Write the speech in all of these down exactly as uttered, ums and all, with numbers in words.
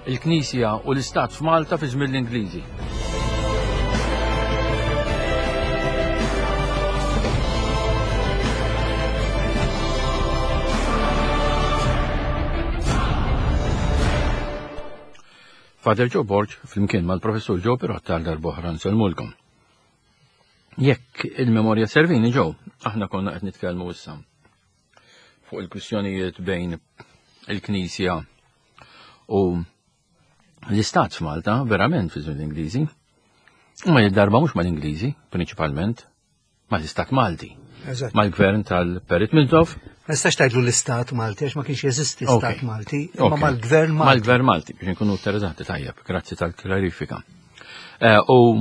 Il-Knisja u l-Istat f'Malta fi żmien l-Ingliżi. Father Joe Borg, flimkien mal-professur Joe Pirotta għal darb'oħra nsellmulkom. Jekk il-memorja servini Joe, aħna konna qed nitkellmu issa fuq il-kwistjonijiet bejn il-Knisja u l-Istat f'Malta, verament fi żmien l-Ingliżi. Ma darba mhux mal-Ingliżi, prinċipalment, mal-Istat Malti. Eżatt. Mal-gvern tal-Perit Mintoff. Ma nistax tgħidlu l-Istat Malti għax ma kienx jeżisti Stat Ok. Malti, imma Ok. mal-Gvern Malti. Mal-Gvern Malti, biex nkunu interessanti tajjeb, grazzi tal-klarifika. Eh, U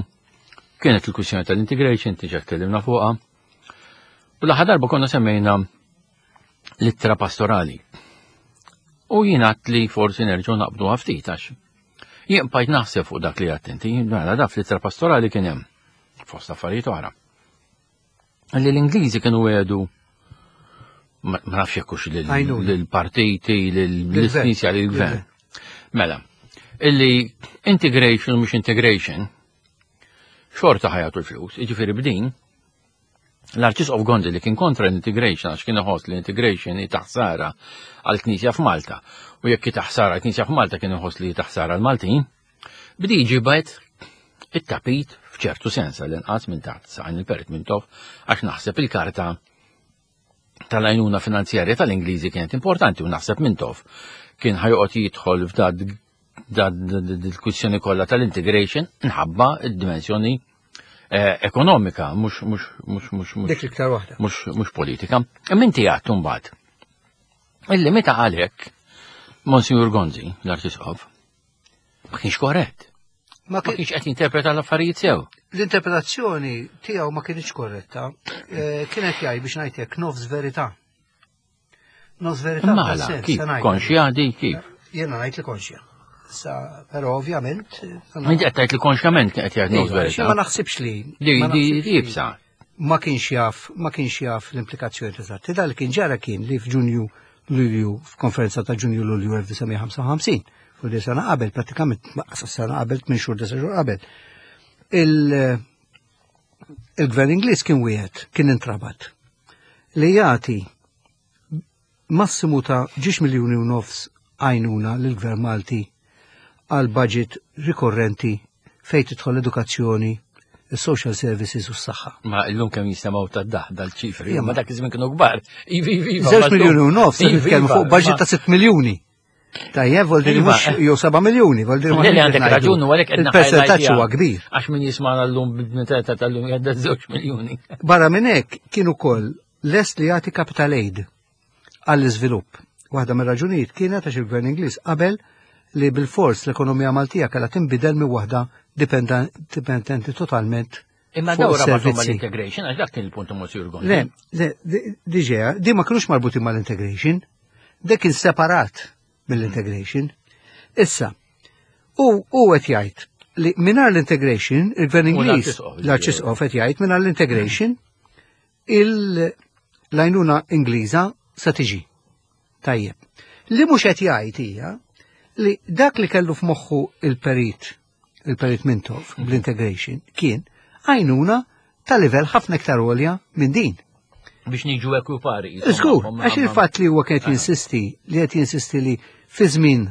kienet il-kwistjoni tal-integration, diġà tkellimna fuqha. U l-aħħar darba konna semmejna l-ittra pastorali. U jien għedt li forsi nerġgħu naqbdu ftit għax. Jien bqajt naħseb fuq dak li għedt inti, mela da fl-ittra pastorali kien hemm fost affarijiet oħra. Li l-Ingliżi kienu għedu ma ma nafx jekk hux lil- Għajnuna. lill-partiti, lill-Knisja, lill-gvern. Lill-gvern. Mela, illi integration mhux integration, xorta ħa jagħtu l-flus, jiġifieri b'din, l-Arċisqof Gonzi li kien kontra l-integration, għax kien iħoss li l-integration hi taħsara għal-Knisja f'Malta. U jekk hi taħsara għal-Knisja f'Malta kien iħoss li hi taħsara għal-Maltin, bdi ġibet it-tapit f'ċertu sens għall-inqas minn taħt saqajn il-Perit Mintoff, għax naħseb il-karta tal-għajnuna finanzjarja tal-Ingliżi kienet importanti u naħseb Mintoff kien ħa joqgħod jidħol f'dad dil-kwistjoni kollha tal-integration nħabba id-dimensjoni eh, ekonomika, mhux mhux mhux mhux mhux Dik l-iktar waħda. mhux mhux politika. Imma inti għedt mbagħad. Illi meta għalhekk Monsignor Gonzi, l-Arċisqof, ma kienx korrett. Ma Ma kien- kienx qed jinterpreta l-affarijiet sew. L-interpretazzjoni tiegħu ma kienx korretta. Eh, Kienet jgħid biex ngħidlek nofs verità. Nofs verità. Mala, f'dal-sens, kif se ngħid. konxja di kif? Jiena ngħid li konxja. Sa, però ovvjament. eh, Inti qed tgħid li konxjament kien qed jgħid nofs Iva, verità. Ma naħsibx li. Di ma di naħsibx li- jibsa. Ma kienx jaf, ma kienx jaf l-implikazzjoni eżatti. Dal kien ġara kien li f'Ġunju Lulju, f'konferenza ta' Ġunju Lulju elf disa' mija ħamsa u ħamsin, fuq li sena qabel, pratikament ma- sena qabel, tmien xhur disa' xhur qabel. Il- Il-gvern Ingliż kien wieħed, kien intrabat li jagħti massimu ta' ġiex miljuni u nofs għajnuna lill-gvern Malti għal budget rikorrenti fejn tidħol edukazzjoni, il-social services u s-saħħa. Ma illum kemm jistemgħu tad-daħ dal-ċifri, Ija, ma ma- dak iż-żmien kienu kbar. Ivi, ivi, iva, Żewġ ma miljuni u nofs, Ivi, nitkellmu iva, fuq budget ma- ta' sitt miljuni. Tajjeb, vol dire Iva, mhux eh. jew seba' miljuni, vol dire ma Le, le, kienx għandek ngħidu. raġun, u għalhekk qed Il-percentaġġ naħajlajtja. huwa kbir. Għax min jismana l-lum bid-meta tal-lum jgħadda żewġ miljuni. Barra minn hekk kien ukoll lest li jagħti capital aid għall-iżvilupp. Waħda mir-raġunijiet kienet għax il-Gvern Ingliż qabel li bil-fors l-ekonomija Maltija kellha tinbidel minn waħda dipenda- dipendenti totalment Imma fuq dawra ma is-servizzi. mal-integration, għax dak kien il-punt Monsignor Gonzi. Le, le, di- diġà, di ma kienux marbutin mal-integration, dik kien separat mill-integration. Issa, u u qed jgħid li mingħajr l-integration, il-Gvern U Ingliż, l-Arċisqof, l-Arċisqof qed jgħid mingħajr l-integration, il-lajnuna Ingliża sa tiġi. Tajjeb. Li mhux qed jgħid hija li dak li kellu f'moħħu il-perit, il-perit Mintoff bl-integration, kien għajnuna ta' livell ħafna iktar għolja minn din. Biex niġu ekwipari. Żgur, għax il-fatt li huwa kien qed jinsisti li qed jinsisti li fi żmien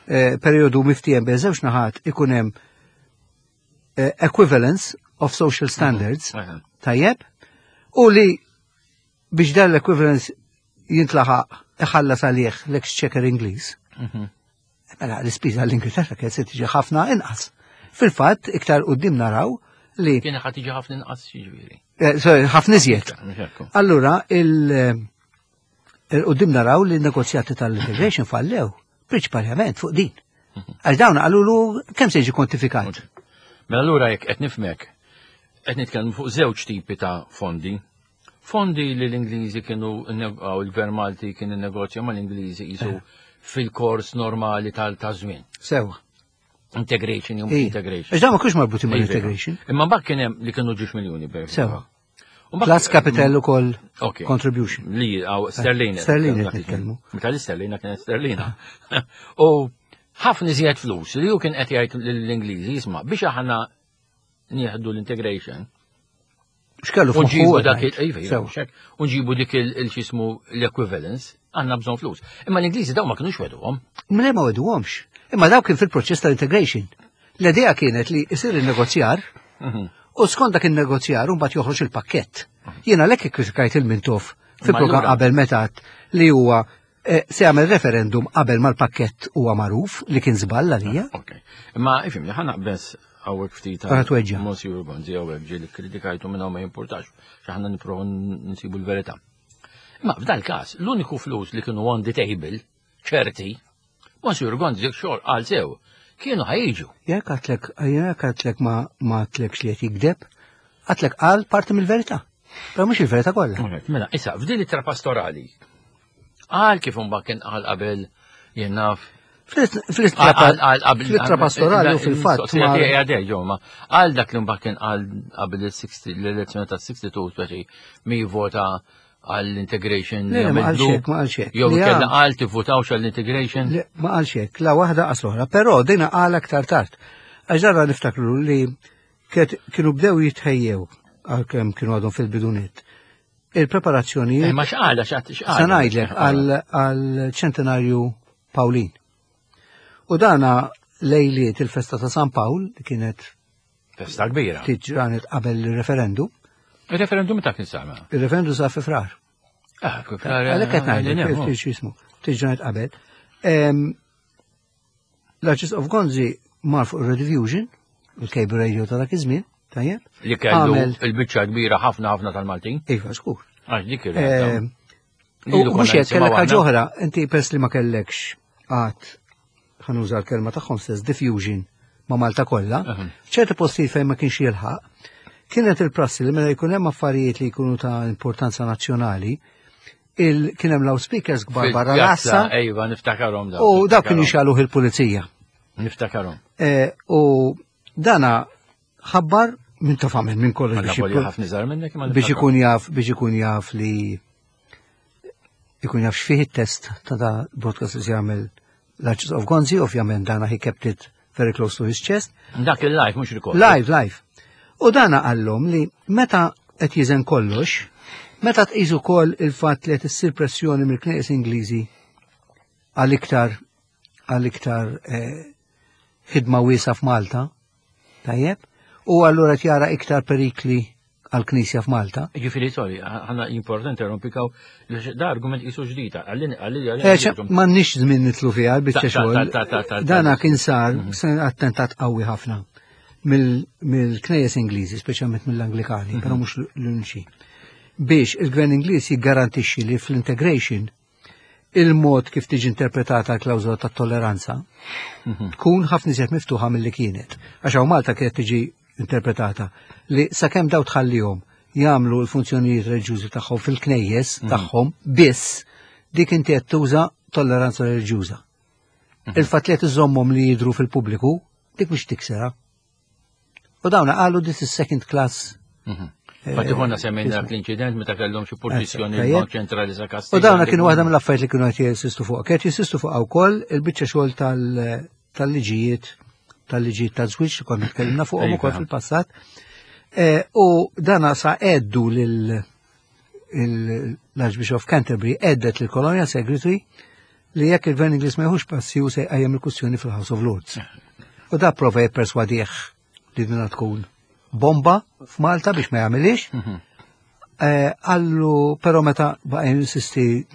eh, periodu miftiem bejn żewġ naħat ikun hemm eh, equivalence of social standards, tajjeb, u li biex dan l-equivalence jintlaħaq iħallas għalih l-exchequer Ingliż. Mela l-ispiża l-Ingilterra kienet se tiġi ħafna inqas. Fil-fatt, iktar quddiem naraw li Kien ħa tiġi ħafna inqas jiġifieri. eh, sorry, ħafna iżjed. Mhux Allura, il- il-qoddim naraw li n-negozjati tal-integration fallew, prinċipalment fuq din. Għax dawn qalulu kemm se jiġi kwantifikat. Mela allura jekk qed nifhmek, qed nitkellmu fuq żewġ tipi ta' fondi. Fondi li l-Ingliżi kienu għaw il-Gvern Malti kien innegozja mal-Ingliżi jisu fil-kors normali tal-żmien. Sewa. Integration jew mhux Ija. integration. Għax dawn ma kienux marbutin Iva. mal-integration. Imma mbagħad kien hemm li kienu ġiex miljuni per. Sewa. U mbagħad- Plus capital ukoll Ok. contribution. Li għaw sterlina. Sterlina qed nitkellmu. Meta l-sterlina kienet sterlina. U Ħafna iżjed flus li hu kien qed jgħid lill-Ingliżi, jisma' biex aħna nieħdu l-integration. X'kellu U nġibu f'moħħu dak għed, il- sew. iva, u nġibu dik il-xismu l-equivalence, għandna bżonn flus. Imma l-Ingliżi daw ma kinux weduhom. Mle ma weduhomx. Imma daw kien fil-proċess tal-integration. L-idea kienet li isir il-negozjar u skont dak il-negozjar mbagħad joħroġ il-pakkett. Jiena lek ikkritikajt il-Mintoff fil-programm allura- qabel meta għedt li huwa eh, se jagħmel referendum qabel mal-pakkett huwa magħruf, li kien żball għalija. Ok. Imma ifhimni, ħa naqbeż hawnhekk ftit Għara tweġġa. Monsieur Gonzi hawnhekk ġieli kritikajtu minn hawn, ma jimpurtax, x'aħna nipprovaw nsibu l-verità. Imma f'dal każ, l-uniku flus li kienu on the table, ċerti, Monsieur Gonzi xogħol qal sew, kienu ħa jiġu. Jekk għedtlek, jekk għedtlek ma ma għedtlekx li qed jikdeb, għedtlek qal parti mill-verità. Però mhux il-verità kollha. Mela, issa, f'din it pastorali, qal kif imbagħad kien qal qabel, jien naf, Fl-ittra pastorali u fil-fatt ma- ma. Għal dak li mbagħad kien qal qabel il-sittin l-elezzjoni ta' sitta u sittin, speċi mi vota għall-integration. Le, le, ma qalx hekk, ma qalx hekk. Jew Li kella għam- qal tivvutawx għall-integration. Le, ma qalx hekk, la waħda qas l-oħra, però dina qal aktar tard. Għax darra niftakru li kiet- kienu bdew jitħejjew, għalkemm kienu għadhom fil-bidunet. Il-preparazzjonijiet Eh, Ma x'qala x'qala. Se ngħidlek għal ċentenarju Pawlin. U dana lejliet il-festa ta' San Pawl, li kienet Festa kbira. ftit ġranet qabel il-referendum. Il-referendum ta' kien sama. Il-referendum sa' fi Frar. Ah, kif Għalhekk qed ngħidlek, ftit x'jismu, ftit ġranet qabel. Em, L-Arċisqof Gonzi mar fuq il-Rediffusion, il-cable radio ta' dak iż-żmien, tajjeb? Li kellu Għamel- il-biċċa kbira ħafna ħafna tal-Maltin. Iva, żgur. Għax dik ir-realtà. Em, Lilu U konna mhux hekk, nisimgħu kellek aħna. ħaġa oħra, inti pers li ma kellekx għad, ħa nuża l-kelma tagħhom stess, diffusion ma' Malta kollha, Mhm. ċerti postijiet fejn ma kienx jilħaq, kienet il-prassi li meta jkun hemm affarijiet li jkunu ta' importanza nazzjonali, il kien hemm loudspeakers kbar barra Fil-pjazza, l-għassa Ejva, niftakarhom daw. u dawk kienu niftakarhom. jixegħluh il-pulizija. Niftakarhom. Eh, U dana ħabbar minn taf għamel minn kollox Għalla biex volja ikun- ħafna iżgħar minnek imma biex niftakarhom. ikun jaf biex ikun jaf li ikun jaf x'fih it-test ta' da broadcast li se jagħmel l-Archbishop Gonzi, ovvjament dana he kept it very close to his chest. Dak il-live mhux record. Live, live. U dana qallhom li meta qed jiżen kollox, meta tqisu wkoll il-fatt li qed issir pressjoni mill-Knejjes Ingliżi għal iktar għal iktar eh, ħidma wiesa f'Malta, tajjeb, u allura qed jara iktar perikli għal-Knisja f'Malta. Ġifieri, sorry, ħana importanti rompikaw, da argument jisu ġdida, għallin, għallin, Eh, ċe, M'għandniex żmien nidħlu fiha l-biċċa Ta- ta- xogħol. ta- ta- ta- ta- Dana kien sar se attentat qawwi ħafna mill- mill-Knejjes Ingliżi, speċjalment mill-Anglikani, però mhux l-uniċi. Biex il-Gvern Ingliż jiggarantixxi li fl-integration il-mod kif tiġi interpretata l-klawżola ta' tolleranza tkun ħafna iżjed miftuħa mill-li kienet. Għax hawn Malta kienet tiġi interpretata li sakemm daw tħallihom jagħmlu l-funzjonijiet reliġjużi tagħhom fil-knejjes tagħhom biss, dik inti qed tuża tolleranza reliġjuża. Il-fatt li qed iżommhom li jidru fil-pubbliku, dik mhux tiksera. U dawna qalu this is second class. Fatti konna semmejna dak l-inċident meta kellhom xi purċissjoni Tajjeb. l-Bank Ċentrali sa Kastilja. U dawna kienu waħda mill-affarijiet li kienu qed jinsistu fuq. Kienet jinsistu fuq wkoll il-biċċa xogħol tal- tal-liġijiet tal-liġijiet ta' żwieġ li konna tkellimna fuqhom Iva. ukoll fil-passat. Eh, U dana sa għeddu lil l-Archbishop of Canterbury għeddet lil Colonial Secretary li jekk il-Gvern Ingliż ma jieħux passi u se jqajjem il-kwistjoni fil-House of Lords. U da prova jipperswadih li dina tkun bomba f'Malta biex ma jagħmilix. Eh, Għallu, però meta baqa jinsisti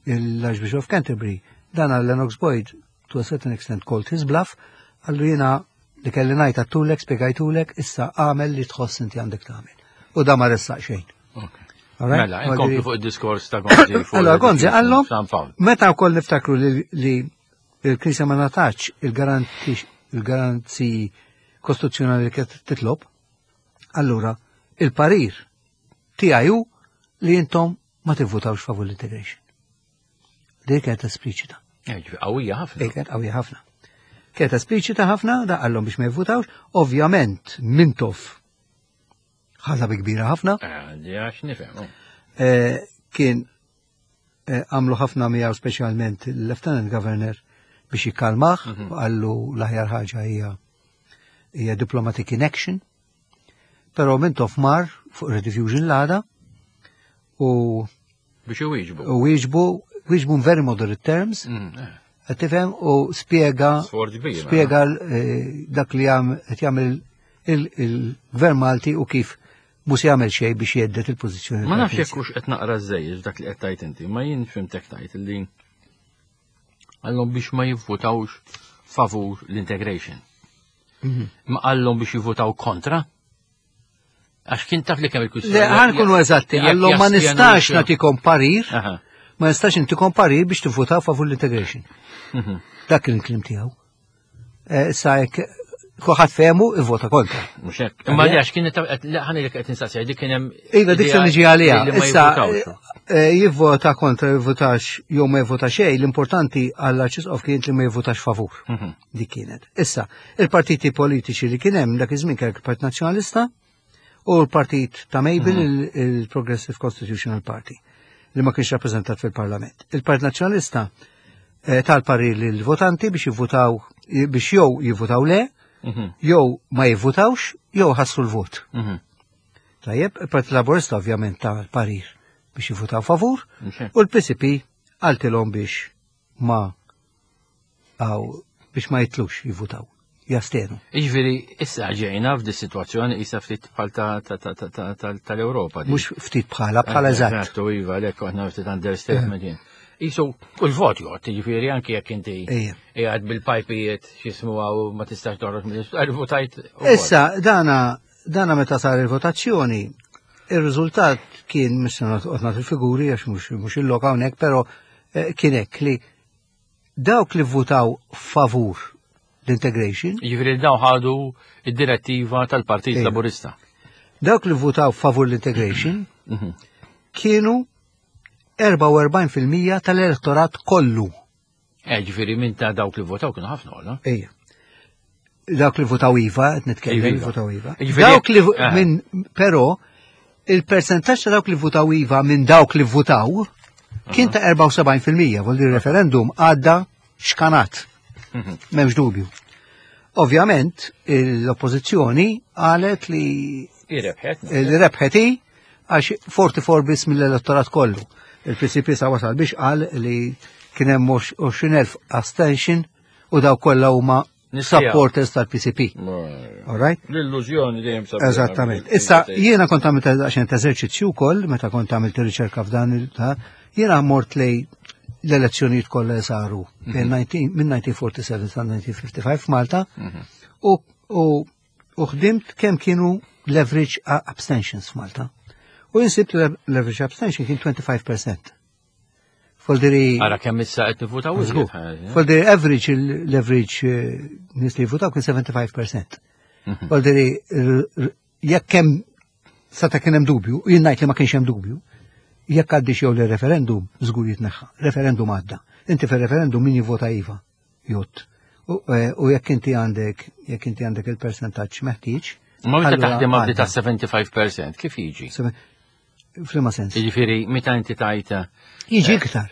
l-Archbishop of Canterbury, dan għal Lennox Boyd, to a certain extent called his bluff, għallu jiena li kelli ngħid għedtulek, spjegajtulek, issa għamel li tħoss inti għandek tagħmel. U da ma ressaq xejn. All right? Mela, inkomplu fuq id-diskors ta' Gonzi. Fuq Allora, Gonzi, għallu, San Pawl. meta wkoll niftakru li, li il-Knisja ma ngħatatx il-garanti kostituzzjonali li kienet titlob, allura il-parir tiegħi hu li intom ma tivvutawx favur l-integration. Dik kienet espliċita. Eh, ġifieri qawwija ħafna. Dik kienet qawwija ħafna. Kienet espliċita ħafna, da qallhom biex ma jivvutawx, ovvjament Mintoff ħadha bi kbira ħafna. Eh, di għax nifhem. oh. Eh, kien eh, għamlu ħafna miegħu, speċjalment il-Lieutenant Governor biex jikkalmah, u qallu l-aħjar ħaġa hija hija diplomatic inaction. Però Mintoff mar fuq Rediffusion l-għada u Biex iwieġbu. u wieġbu wieġbu in very moderate terms, Mm, eh, qed tifhem, u spjega Sforz kbir. spjega eh, dak li jam qed jagħmel il- il-Gvern Malti u kif mhux jagħmel xejn biex jhedded il-pożizzjoni. Ma nafx tal-Knisja. jekk hux qed naqra żejjed dak li qed tajt inti, ma jien fhimtek tajt li qallhom biex ma jivvutawx favur l-integration. Mhm. Ma qallhom biex jivvutaw kontra? Għax kien taf li kemm il-kwistjoni. Le, ħa nkunu eżatti, Jekk qallhom ma jastjenu nistax xi- nagħtikom parir, Aha. ma nistax intikom parir biex tivvutaw favur l-integration. Mhm. Dak kien il-kliem tiegħu. Eh, Issa jekk kulħadd fehmu, ivvota kontra. Mhux hekk. Imma li għax kien ħa ngħidlek qed nistaqsi dik kien hemm Iva, dik se niġi għalija. li ma Issa, jivvutawx. eh, jivvota kontra, jivvotax, jew ma jivvota xejn, l-importanti għall-Arċisqof kien li ma jivvotax favur. Mhm. Dik kienet. Issa, il-partiti politiċi li kien hemm dak iż-żmien kien il-Partit Nazzjonalista u l-partit ta' Mabel, il- il-Progressive Constitutional Party, li ma kienx rappreżentat fil-Parlament. Il-Partit Nazzjonalista eh, tal-parir lill-votanti biex jivvotaw biex jew jivvotaw le, Mhm. jew ma jivvotawx, jew ħassru l-vot. Mhm. Tajjeb, il-Partit Laburista ovvjament tal-parir biex jivvotaw favur, Mhux hekk. u l-P C P qaltilhom biex ma għaw biex ma jitlux jivvotaw, jastenu. Jiġifieri issa ġejna f'di situazzjoni issa ftit bħal ta' ta' ta' ta' ta' ta' tal-Ewropa. di. Mhux ftit bħala, bħala eżatt. Eżatt, iva, għalhekk aħna ftit understatement jien. Isu, kull vot jgħod, jiġifieri anki jekk inti Ejja. qiegħed bil-pajpijiet x'jismu għaw ma tistax toħroġ mill votajt. u Issa, dana, dana meta sar il-votazzjoni, il-riżultat kien, mhux noqgħod il-figuri għax mhux mhux il-lok hawnhekk, però eh, kien hekk li dawk li votaw favur l-integration, Jiġifieri daw ħadu id-direttiva tal-Partit Ejja. Laburista. Dawk li votaw favur l-integration Mhm. kienu erbgħa u erbgħin fil-mija tal-elettorat kollu. Eh, jiġifieri minn ta' dawk li votaw kienu ħafna, ola? Ejja. Dawk li votaw iva, qed nitkellem Iva, li iva. votaw iva. Jiġifieri- Dawk li Eh. minn però il-percentaġġ ta' dawk li votaw iva minn dawk li votaw kien ta' erbgħa u sebgħin fil-mija, vol referendum għadda xkanat. Mhm. M'hemmx dubju. Ovvjament, l-oppożizzjoni qalet li Irebħet. li rebħet hi għax erbgħa u erbgħin biss mill-elettorat kollu. Il-P C P sa wasal biex qal li kien hemm għoxrin elf abstention u daw kollha huma Nistija. supporters tal-P C P. All right? L-illużjoni dejjem sabiħa. Eżattament. Issa, jiena kont għamilt daqsxejn ta' eżerċizzju wkoll, meta kont għamilt riċerka f'dan il ta' jiena mort lej l-elezzjonijiet kollha li saru bejn nineteen minn elf disa' mija u erbgħa u sebgħin sa elf disa' mija u ħamsa u ħamsin f'Malta u u u ħdimt kemm kienu l-average abstentions f'Malta. U insibt l-average abstention kien twenty-five percent. Foldiri Ara kemm issa qed nivvutaw Żgur. iżjed. Foldiri average l-average eh, nies li jivvutaw kien sebgħa u ħamsin fil-mija. Foldiri jekk hemm sata kien hemm dubju, jien ngħid li ma kienx hemm dubju, jekk għaddix jew le referendum żgur jitneħħa. Referendum għadda. Inti fir-referendum min jivvota iva jott. U eh, u jekk inti għandek jekk inti għandek il-percentaġġ meħtieġ. Ma meta allura taħdem għabdi ta' għadda. sebgħa u ħamsin fil-mija, kif jiġi? Sebe- F'liema sens? Jiġifieri meta inti tajt Jiġi iktar.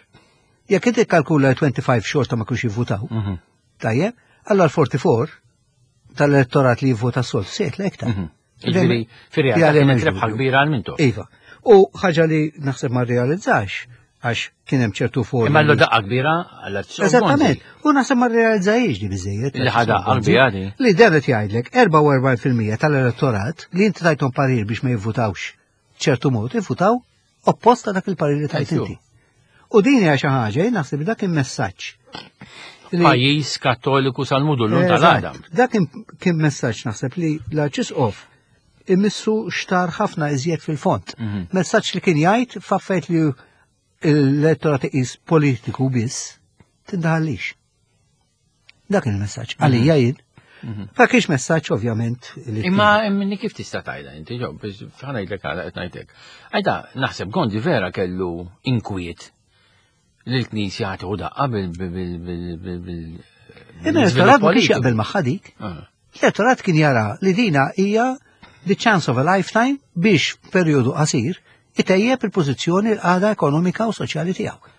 Jekk inti kalkula twenty-five xorta ma kienx jivvutaw, Mhm. tajjeb, allora l-erbgħa u erbgħin tal-elettorat li jivvota sol se jitla iktar. Mhm. Jiġifieri fir-realtà kienet rebħa kbira għal Mintoff. Iva. U ħaġa li naħseb ma realizzax, għax kien hemm ċertu formi. Imma l daqqa kbira għal Eżattament. U naħseb ma realizzajiex di biżejjed. Li ħa daqqa kbira di. Li dan qed jgħidlek erbgħa u erbgħin fil-mija tal-elettorat li inti tajthom parir biex ma jivvutawx ċertu mod, jivvutaw opposta dak il-parir li tajt Ejju. inti. U din hija xi ħaġa, jien naħseb dak il-messaġġ. Li- Pajjiż Kattoliku sal-mudullun Eżatt. tal-għadam. Dak kien- kien messaġġ naħseb li l-Arċisqof imissu xtar ħafna iżjed fil-fond. Mhm. Messaġġ li kien jgħid f'affarijiet li l-elettorat iqis politiku biss, tindaħallix. Dak il-messaġġ. Għalija jien. Ma kienx messaġġ ovvjament li Imma minni kif tista' tajda inti ġo, biex ħa ngħidlek għala qed ngħidlek. Għajda naħseb Gondi vera kellu inkwiet li l-Knisja ħa tieħu daqqa bil bil bil bil bil bil Imma l-elettorat ma kienx jaqbel magħha dik. Ah. L-elettorat kien jara li dina hija the chance of a lifetime biex periodu qasir itejjeb il-pożizzjoni l-qagħda ekonomika u soċjali tiegħu.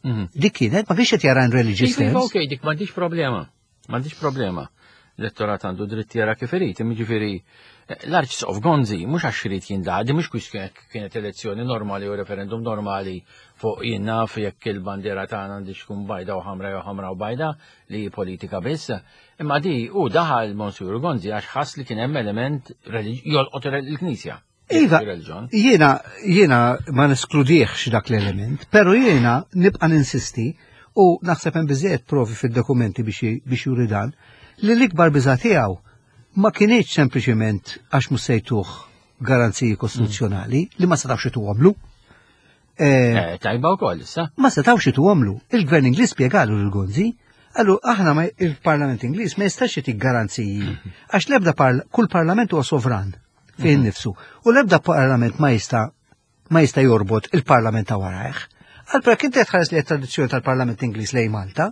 Mhm. Dik kienet, ma kienx qed jara in religious Iva, terms. ok, dik m'għandix problema. M'għandix problema. L-elettorat għandu dritt jara kif irid, jiġifieri l-Arċisqof Gonzi mhux għax irid jindaħal, di mhux kwistjoni kienet elezzjoni normali u referendum normali fuq jien naf jekk il-bandiera tagħna għandix tkun bajda u ħamra jew ħamra u bajda li hi politika biss. Imma di u daħal Monsignor Gonzi għax ħass li kien hemm element jolqot il-Knisja. Iva, Il-reliġjon. jiena, jiena ma neskludiex dak l-element, pero jiena nibqa ninsisti u naħseb hemm biżejjed provi fid-dokumenti biex biex juri dan li l-ikbar biża tiegħu ma kinitx sempliċiment għax mhux se jtuh garanziji kostituzzjonali li ma setgħux ituhomlu. Eh, Eh, Tajba wkoll issa. ma setgħux ituhomlu. Il-Gvern Ingliż spjegalu lil Gonzi, għallu aħna ma il-Parlament Ingliż ma jistax jtik garanziji għax l-ebda parla, kull parlament huwa sovran fih innifsu u l-ebda parlament ma jista' ma jista' jorbot il-parlament ta' warajh. Għal inti tħares li tradizzjoni tal-Parlament Ingliż lejn Malta,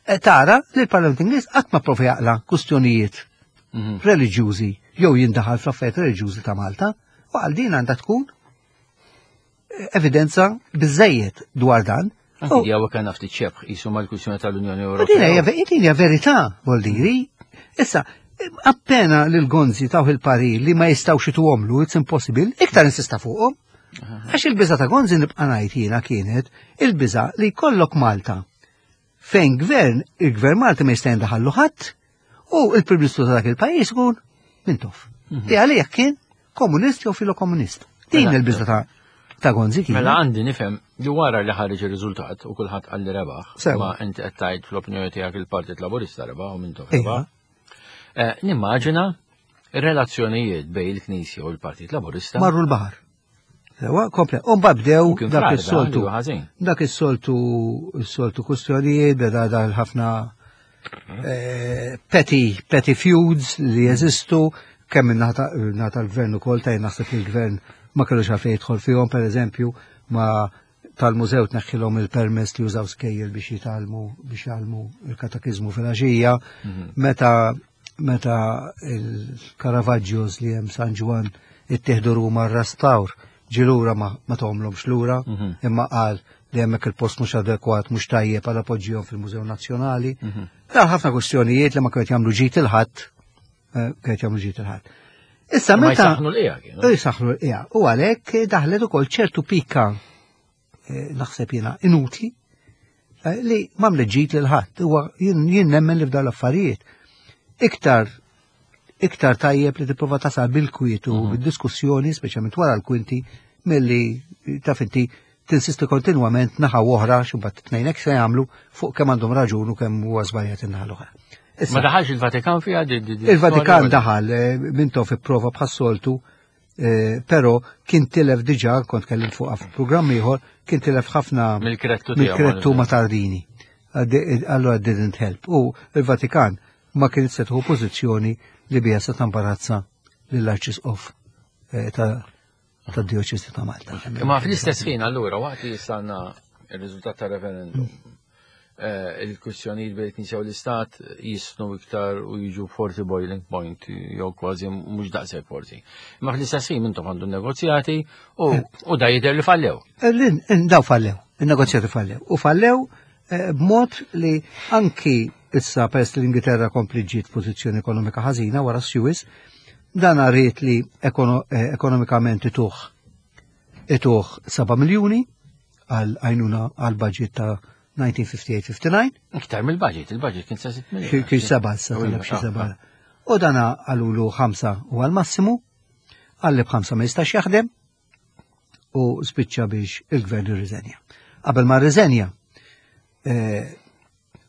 eh, tara li l-Parlament Ingliż qatt ma prova jaqla kwistjonijiet Mhm. reliġjużi jew jindaħal fl-affarijiet reliġjużi ta' Malta, u għal din għandha tkun eh, evidenza biżejjed dwar dan. Anki U- di għawa kan ftit xebħ jisu mal-kwistjoni tal-Unjoni U din hija Ewropea. din hija verità, vuol Issa, appena lil Gonzi taw il-parir li ma jistgħux ituhomlu, it's impossible, iktar insista fuqhom. Għax il-biża ta' Gonzi nibqa' ngħid jiena kienet il-biża li jkollok Malta fejn gvern, il-gvern Malti ma jista' jindaħallu ħadd u il-Prim Ministru ta' dak il-pajjiż ikun Mintoff. Li għalih kien komunist jew filokomunist. Din Mela. il-biża ta' ta' Gonzi kien. Mela għandi nifhem li wara li ħareġ ir-riżultat u kulħadd qal li rebaħ, Sewa. ma inti qed tgħid fl-opinjoni tiegħek il-Partit Laburista rebaħ u Mintoff Iva. rebaħ. Eh, Nimmaġina ir-relazzjonijiet bejn il-Knisja u l-Partit Laburista Marru l-baħar. Sewa, komple. U mbagħad bdew kien dak fl-arda, is-soltu. li huwa ħażin. Dak is-soltu is-soltu kustjonijiet beda dal ħafna eh, petty petty feuds li jeżistu kemm min-naħa tal-gvern ukoll ta' naħseb li l-gvern ma kellux għalfejn jidħol fihom pereżempju ma tal-mużew tneħħilhom il-permess li jużaw skejjel biex jitgħallmu biex jgħallmu il-katakizmu fil-għaxija meta meta il-Caravaggios li hemm San Ġwann ittieħdu Ruma r-restawr ġie lura ma, ma tahomlhomx lura Mhm. imma qal li hemmhekk il-post mhux adekwat mhux tajjeb għal poġġihom fil-Mużew Nazzjonali. Dar ħafna kwestjonijiet li ma kienet jagħmlu ġid il-ħadd, eh, kienet jagħmlu ġid il-ħadd. Issa Ma meta jsaħħnu l-qiegħa kienu. Jisaħħnu l-qiegħa. U għalhekk daħlet ukoll ċertu pika eh, naħseb jiena inutli eh, li m'għamlet ġid lil ħadd. Huwa jien jien nemmen li f'dawn l-affarijiet iktar iktar tajjeb li tipprova tasal bil-kwiet u bid-diskussjoni, speċjalment wara l-kwinti, milli taf inti tinsisti kontinwament naħa oħra xi mbagħad tnejn hekk se jagħmlu fuq kemm għandhom raġun u kemm huwa żbaljat in-naħa l-oħra. Issa, Ma daħalx il-Vatikan fiha di- di- di- Il-Vatikan storja? daħal, eh, Mintoff ipprova bħas-soltu, eh, però kien tilef diġà, kont kellimt fuq f'programm ieħor, kien tilef ħafna Mill-krettu tiegħu. mill-krettu ma' Tardini. Għaddi- Allora didn't help. U il-Vatikan ma kien se tieħu pożizzjoni li biha se tambarazza lill-Arċisqof eh, ta' tad-Djoċesi ta' Malta. Ma fl-istess ħin allura waqt li jistanna il-riżultat ta' referendum eh, il-kwistjonijiet bejn il-Knisja u l-Istat jisnu iktar u jiġu forsi boiling point jew kważi mhux daqshekk forsi. Ma fl-istess ħin intom għandu negozjati u u da jidher li fallew. Lin, daw fallew, il-negozjati fallew. U fallew eh, b'mod li anki issa peress li l-Ingilterra kompli ġiet pożizzjoni ekonomika ħażina wara Suez, dan rrit li ekono, eh, ekonomikament ituh ituh seba' miljuni għal għajnuna għal budget ta' elf disa' mija ħamsa u ħamsin ħamsa u ħamsin. Iktar mill-budget, il-budget kien sa sitt miljun. Kien seba' issa U talab xi iva, seba'. U dana għalulu ħamsa u għal massimu, għalli b'ħamsa ma jistax jaħdem u spiċċa biex il-gvern irriżenja. Qabel ma rriżenja, eh,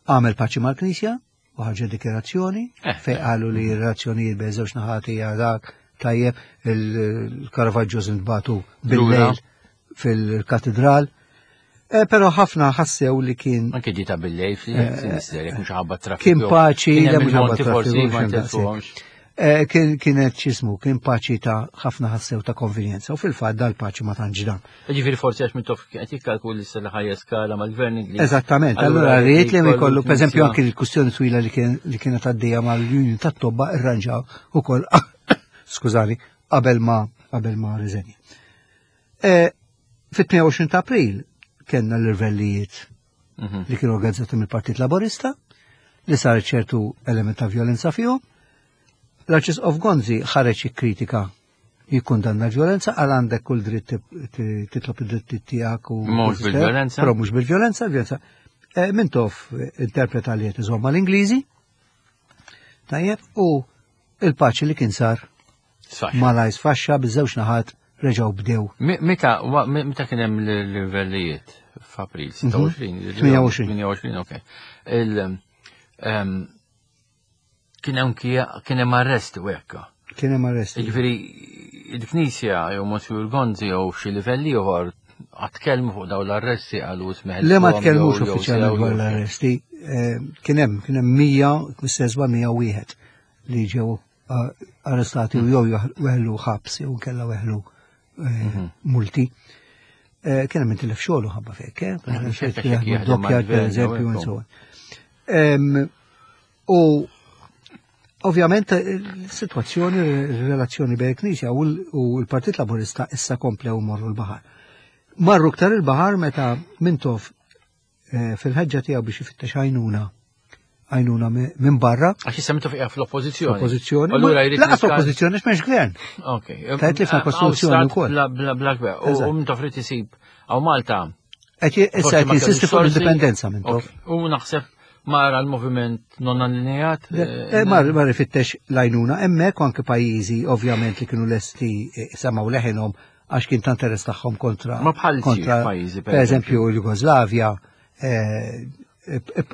għamel paċi mal-Knisja u ħarġet dikjerazzjoni Eh. fej qalu li r-relazzjonijiet bejn żewġ naħati hija dak tajjeb il-Caravaggio ntbagħtu bil-lejl fil-katedral. Eh, Però ħafna ħassew li kien Anke ġita bil-lejl fil-Sinister, jekk mhux ħabba traffiku. Kien paċi, Kien le hemm mhux ħabba il-monti forsi traffiku, ma xejn daqshekk. tilfuhomx. Eh, Kien kienet x'ismu, kien paċi ta' ħafna ħassew ta' konvenjenza u fil-fatt dal-paċi ma tantx dam. Ġifieri forsi għax Mintoff qed jikkalkuli issa li ħajja skala mal-gvern Ingliż. Eżattament, allura rrid li jkollu, per eżempju, anki l-kustjoni twila li kien li kienet għaddejja mal-Union tat-tobba irranġaw ukoll skużani, qabel ma qabel ma riżenja. Eh, Fit-tmienja u għoxrin ta' April kellna l-irvellijiet Mhm. li kienu organizzati mill-Partit Laborista, li sar ċertu element ta' violenza fihom. L-Arċisqof Gonzi ħareġ jikkritika, jikkundanna l-violenza, għal għandek kull dritt ti- titlob id-dritt tiegħek u Mhux bil-violenza. Però mhux bil-violenza, violenza. Eh, Mintoff interpreta li qed iżomm mal-Ingliżi. Tajjeb, u il-paċi li kien sar Sfaxxa. malaj sfaxxa, biż-żewġ naħat reġgħu bdew. Mi- Meta wa- mi- meta kien hemm l-livellijiet f'April sitta u għoxrin? tmienja u għoxrin. tmienja u għoxrin, ok. Il em, kien hemm kien hemm arresti u hekk. Kien hemm arresti. Jiġifieri il-Knisja jew Monsignor Gonzi jew xi livelli ieħor qatt tkellmu fuq dawn l-arresti, qalu smieħ? Le, ma tkellmux uffiċjalment dwar l-arresti. Eh, Kien hemm kien hemm mija, mistezba mija wieħed li ġew eh, arrestati u jew weħlu ħabs jew kella weħlu eh, multi. Eh, Kien hemm intilef xogħlu ħabba fek, eh? Xekk jaħdem Dockjard, per mal-gvern, eżempju, jew and hekk. so on. Em, U ovvjament il-situazzjoni, il-relazzjoni bejn il-Knisja u l- u l-Partit Laburista issa komplew morru l-baħar. Marru ktar il-baħar meta Mintoff eh, fil-ħeġġa tiegħu biex ifittex għajnuna għajnuna mi- minn barra. Għax issa Mintoff qiegħed fl-oppożizzjoni. Oppożizzjoni. Allura jrid Laqas niska- oppożizzjoni għax m'hemmx gvern. Ok. Tajt li fil-Kostituzzjoni Hawn stat wkoll. Bla bla bla gvern. U- Eżatt. U Mintoff irid isib hawn Malta. Qed j- Issa Forsi qed ma jinsisti kellux fuq sorsi. l-indipendenza Mintoff. Ok. U naħseb mara l-moviment non allineat. Eh, Mar mar ifittex l-għajnuna hemmhekk u anke pajjiżi ovvjament li kienu lesti eh, semgħu leħinhom għax kien ta' interess tagħhom kontra Ma bħal xi kontra pajjiżi, per per eżempju l-Jugoslavja, eh,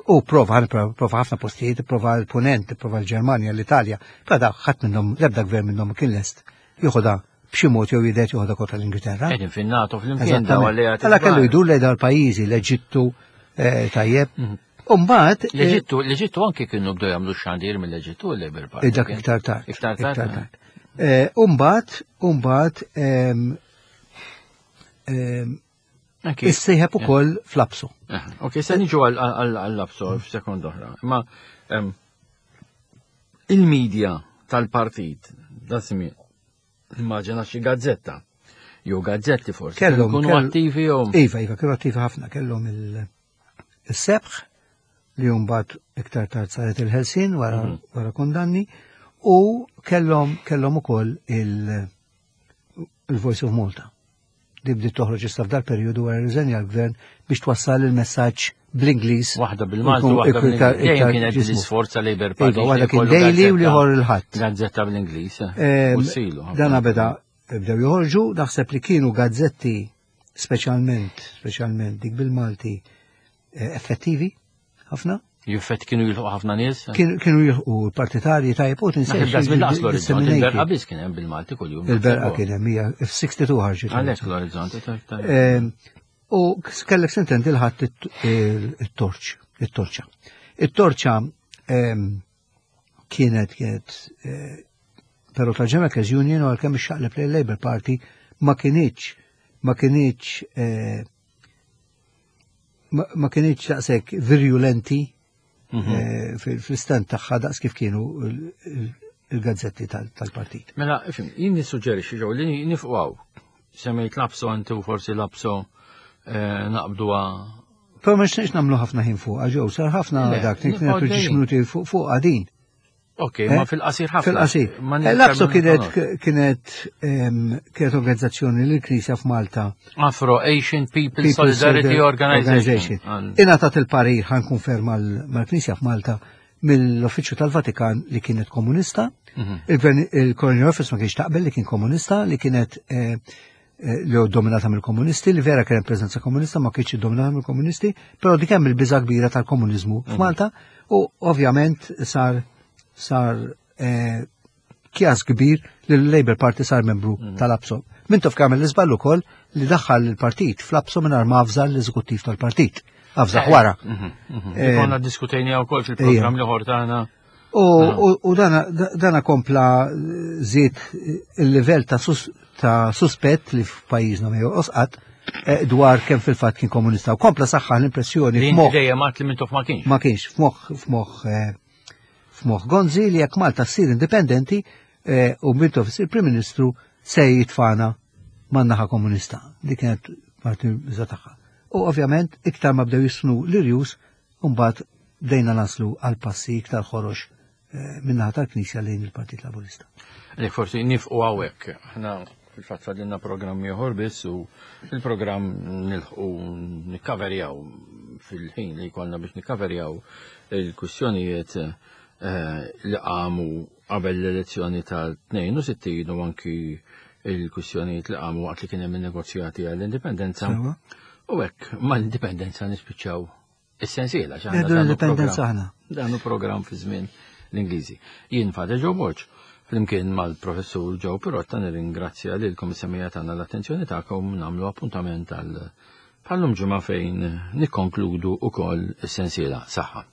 u prova prova ħafna postijiet, prova l-Punent, prova l-Ġermanja, l-Italja, però da ħadd minnhom, l-ebda gvern minnhom kien lest joħodha b'xi mod jew jidet joħodha kontra l-Ingilterra. Qegħdin fin-NATO flimkien daw Eżattament. alleati. Alla kellu kbar. jdur lejn dal-pajjiżi, l-Eġittu, eh, tajjeb. Mhm. U mbagħad eh, L-Eġittu, l-Eġittu anki kienu bdew jagħmlu xandir mill-Eġittu l-Labour Party. Eh, Dak kien? iktar tard. Iktar tard. Eh, Umbat, umbat, em, em, Anki. issieħeb ukoll fl-APSO. Eh, Ok, se niġu għall-APSO f'sekond oħra. Ma em, il-medja tal-partit, da żmien, immaġina xi gazzetta, jew gazzetti forsi, Kellhom- kienu kell- attivi jew. Iva, iva, kienu attivi ħafna, kellhom il- il-Sebħ li mbagħad iktar tard saret Il-Ħelsien wara, Mhm. wara kondanni u kellhom kellhom ukoll il- il-Voice of Malta. Di bdiet toħroġ issa f'dal periodu wara riżenja l-gvern biex twassal il-messaġġ bl-Ingliż. Waħda bil-Malti, Ikun- waħda ikun bil-Ingliż. iktar- Dejjem iktar kienet ġismu. l-isforza Labour Party. Iva, waħda kien jkollu daily u gazzetta- l-ieħor il-Ħadd. Gazzetta bl-Ingliż. Em, U silu. Dana beda bdew joħorġu, naħseb li kienu gazzetti speċjalment, speċjalment dik bil-Malti, eh, effettivi ħafna. Juffet kienu jilħu ħafna nies. Kienu kienu jilħqu l-partitarji tajjeb u Naħseb tinsiex da żmien laqas l-Orizzont, disseminated. il-Berqa biss kien hemm bil-Malti kuljum. Il-Berqa kien hemm hija f'sitta u sittin ħarġet. Għalhekk l-Orizzont. ta- ta- Em, U kellek sintendi il-Ħadd it-Torċ, it-Torċa. It-Torċa em, kienet kienet eh, però tal-General Union u għalkemm ixxaqleb lejn Labour Party ma kinitx ma kinitx eh, ma ma kinitx daqshekk virulenti Mhm. eh, fil- fil-stand tagħha daqs kif kienu il- il- il-gazzetti tal- tal-partit. Mela, ifhem, jien nissuġġerixxi ġew li nifqgħu. Semmejt l-APSO inti u forsi l-APSO eh, naqbduha. Però ma nixtieqx nagħmlu ħafna ħin fuq, ġew sar ħafna Le, dak, nibqgħu nagħtu ġiex għaddejjin. minuti fuq fuq għadin. Ok, Eh? ma fil-qasir ħafna. Fil-qasir. Ma Eh, L-APSO nifhem kienet nagħmlu. kienet em, kienet organizzazzjoni li l-Knisja f'Malta Afro Asian People People Solidarity Organization. Għal- Ingħatat il-parir, ħa nikkonferma mal-Knisja f'Malta mill-Uffiċċju tal-Vatikan li kienet komunista. Mhm. Il-Gvern- Il-Colonial Office ma kienx taqbel li kien komunista, li kienet eh, eh, li hu dominata mill-komunisti, li vera kien preżenza komunista, ma kienx dominata mill-komunisti, però dik hemm il-biża kbira tal-komuniżmu f'Malta u ovvjament sar sar eh, kjas kbir li l-Labour Party sar membru tal-APSO. Mintoff għamel l-iżball ukoll li daħħal il-partit fl-APSO mingħajr ma avża l-eżekuttiv tal-partit. Avżah wara. Mhm, mhm. Eh, Konna diskutejna wkoll fil-programm li ħortana. U, u, u dana, dana kompla żied il-livell ta', sus, ta' suspett li f'pajjiżna ma jonqos qatt eh, dwar kemm fil-fatt kien komunista. U kompla saħħa l-impressjoni Li inti f'moħħ dejjem għat li Mintoff ma kienx. ma kienx f'moħħ f'moħħ eh, f'moħħ Gonzi li jekk Malta ssir indipendenti eh, u Mintoff issir Prim Ministru se jitfana man-naħa komunista. Di kienet parti biża tagħha. U ovvjament iktar ma bdew jisnu l-irjus, mbagħad bdejna naslu għal passi iktar ħorox eh, min-naħa tal-Knisja lejn il-Partit Laburista. Għalhekk forsi nieqfu hawnhekk. Aħna fil-fatt fadlilna programm ieħor biss u il-programm nilħqu nikkaverjaw fil-ħin li jkollna biex nikkaverjaw il-kwistjonijiet eh, li qamu qabel l-elezzjoni tal-tnejn u sittin u anki il-kwistjonijiet li qamu waqt li kien hemm il-negozjati għall-indipendenza. Sewa. U hekk mal-indipendenza nispiċċaw is-sensiela. Għax aħna Nieħdu dan hu l-indipendenza programm- aħna. Dan hu programm fi żmien l-Ingliżi. Jien Father Joe Borg, flimkien mal-professur Joe Pirotta, nirringrazzja lilkom is-semmiegħa tagħna l-attenzjoni tagħkom, nagħmlu appuntament għal bħal-lum ġimgħa fejn nikkonkludu ukoll is-sensiela. Saħħa.